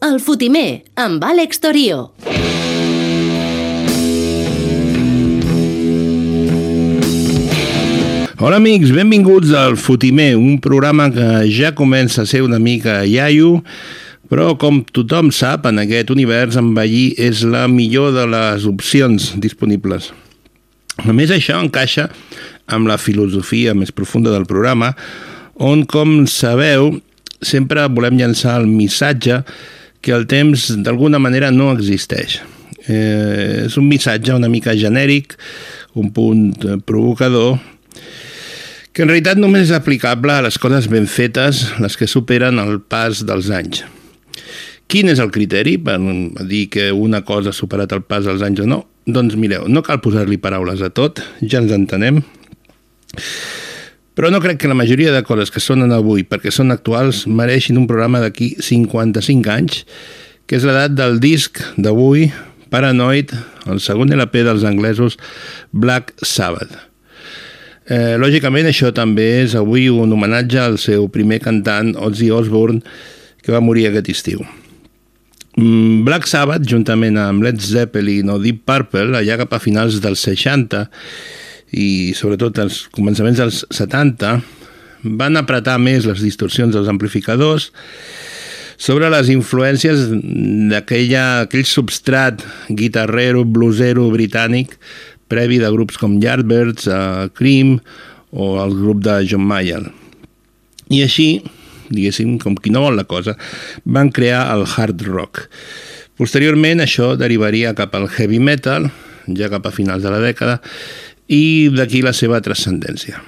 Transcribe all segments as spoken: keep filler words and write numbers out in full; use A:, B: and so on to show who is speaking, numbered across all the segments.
A: El Fotimer, amb Àlex Torio.
B: Hola amics, benvinguts al Fotimer, un programa que ja comença a ser una mica iaio, però com tothom sap, en aquest univers envellir és la millor de les opcions disponibles. A més, això encaixa amb la filosofia més profunda del programa, on, com sabeu, sempre volem llançar el missatge que el temps d'alguna manera no existeix. Eh, és un missatge una mica genèric, un punt provocador, que en realitat només és aplicable a les coses ben fetes, les que superen el pas dels anys. Quin és el criteri per dir que una cosa ha superat el pas dels anys o no? Doncs mireu, no cal posar-li paraules a tot, ja ens entenem, però no crec que la majoria de coses que sonen avui perquè són actuals mereixin un programa d'aquí cinquanta-cinc anys, que és l'edat del disc d'avui, Paranoid, el segon L P dels anglesos Black Sabbath. Eh, lògicament, això també és avui un homenatge al seu primer cantant, Ozzy Osbourne, que va morir aquest estiu. Black Sabbath, juntament amb Led Zeppelin o Deep Purple, allà cap a finals dels seixanta i sobretot als començaments dels setanta, van apretar més les distorsions dels amplificadors sobre les influències d'aquell substrat guitarrero, bluesero britànic previ de grups com Yardbirds, uh, Cream o el grup de John Mayall. I així, diguéssim, com qui no vol la cosa, van crear el hard rock. Posteriorment, això derivaria cap al heavy metal, ja cap a finals de la dècada, i d'aquí la seva transcendència.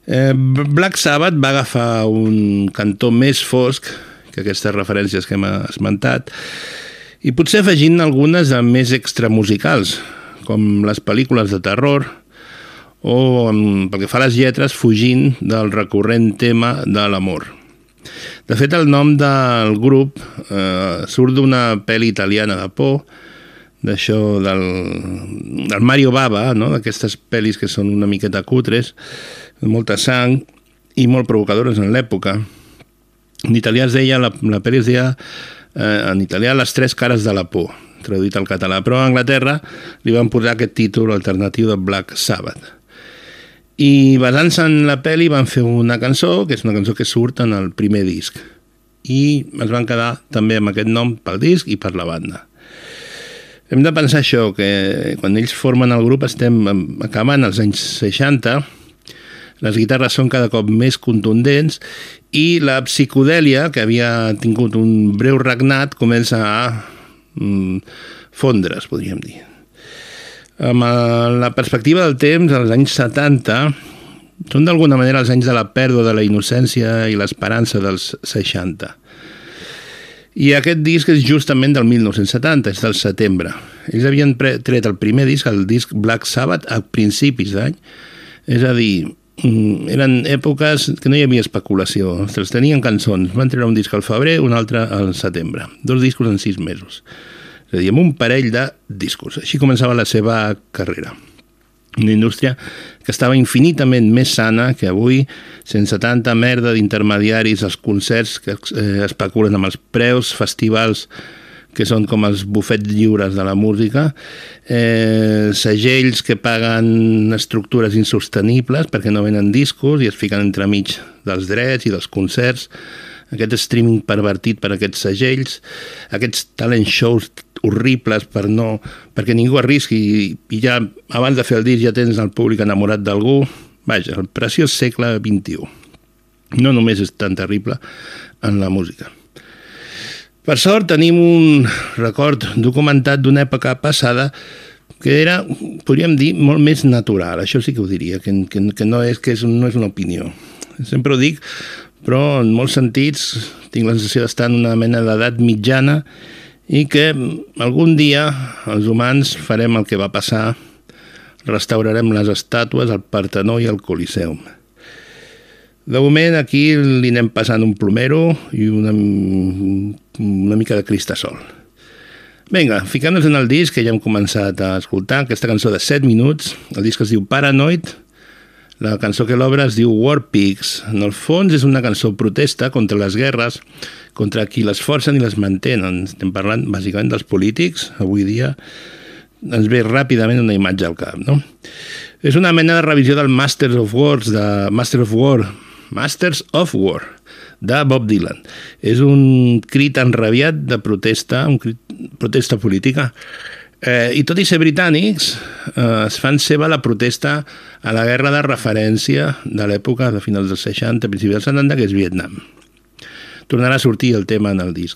B: Eh, Black Sabbath va agafar un cantó més fosc que aquestes referències que hem esmentat, i potser afegint algunes de més extramusicals, com les pel·lícules de terror, o, pel que fa a les lletres, fugint del recurrent tema de l'amor. De fet, el nom del grup eh, surt d'una pel·li italiana de por, d'això del, del Mario Bava, no? D'aquestes pel·lis que són una miqueta cutres, molta sang i molt provocadores en l'època. En italià es deia, la, la pel·li es deia eh, en italià Les tres cares de la por, traduït al català, però a Anglaterra li van posar aquest títol alternatiu de Black Sabbath. I basant-se en la pel·li van fer una cançó, que és una cançó que surt en el primer disc, i es van quedar també amb aquest nom pel disc i per la banda. Hem de pensar això, que quan ells formen el grup estem acabant als anys seixanta, les guitarres són cada cop més contundents i la psicodèlia, que havia tingut un breu regnat, comença a fondre's, podríem dir. Amb la perspectiva del temps, als anys setanta, són d'alguna manera els anys de la pèrdua de la innocència i l'esperança dels seixanta. I aquest disc és justament del mil nou-cents setanta, és del setembre. Ells havien tret el primer disc, el disc Black Sabbath, a principis d'any, és a dir, eren èpoques que no hi havia especulació, ostres, tenien cançons, van treure un disc al febrer, un altre al setembre, dos discos en sis mesos, és a dir, amb un parell de discos. Així començava la seva carrera. Una indústria que estava infinitament més sana que avui, sense tanta merda d'intermediaris als concerts que eh, especulen amb els preus, festivals que són com els bufets lliures de la música, eh, segells que paguen estructures insostenibles perquè no venen discos i es fiquen entremig dels drets i dels concerts, aquest streaming pervertit per aquests segells, aquests talent shows horribles per no, perquè ningú arrisqui i, i ja abans de fer el disc ja tens el públic enamorat d'algú. Vaja, el preciós segle vint-i-u. No només és tan terrible en la música. Per sort tenim un record documentat d'una època passada que era, podríem dir, molt més natural. Això sí que ho diria, que, que, que, no, és, que és, no és una opinió. Sempre ho dic, però en molts sentits tinc la sensació d'estar en una mena d'edat mitjana i que algun dia els humans farem el que va passar, restaurarem les estàtues, el Partenó i el Coliseum. De moment aquí li anem passant un plomero i una, una mica de cristasol. Vinga, ficant-nos en el disc que ja hem començat a escoltar, aquesta cançó de set minuts, el disc es diu Paranoid, La cançó que l'obre es diu War Pigs. En el fons és una cançó protesta contra les guerres, contra qui les forcen i les mantenen. Estem parlant bàsicament dels polítics. Avui dia ens ve ràpidament una imatge al cap, no? És una mena de revisió del Masters of Wars, de Master of War, Masters of War, de Bob Dylan. És un crit enrabiat de protesta, un crit, protesta política. Eh, I tot i ser britànics, eh, es fan seva la protesta a la guerra de referència de l'època de finals dels seixanta, principis dels setanta, que és Vietnam. Tornarà a sortir el tema en el disc.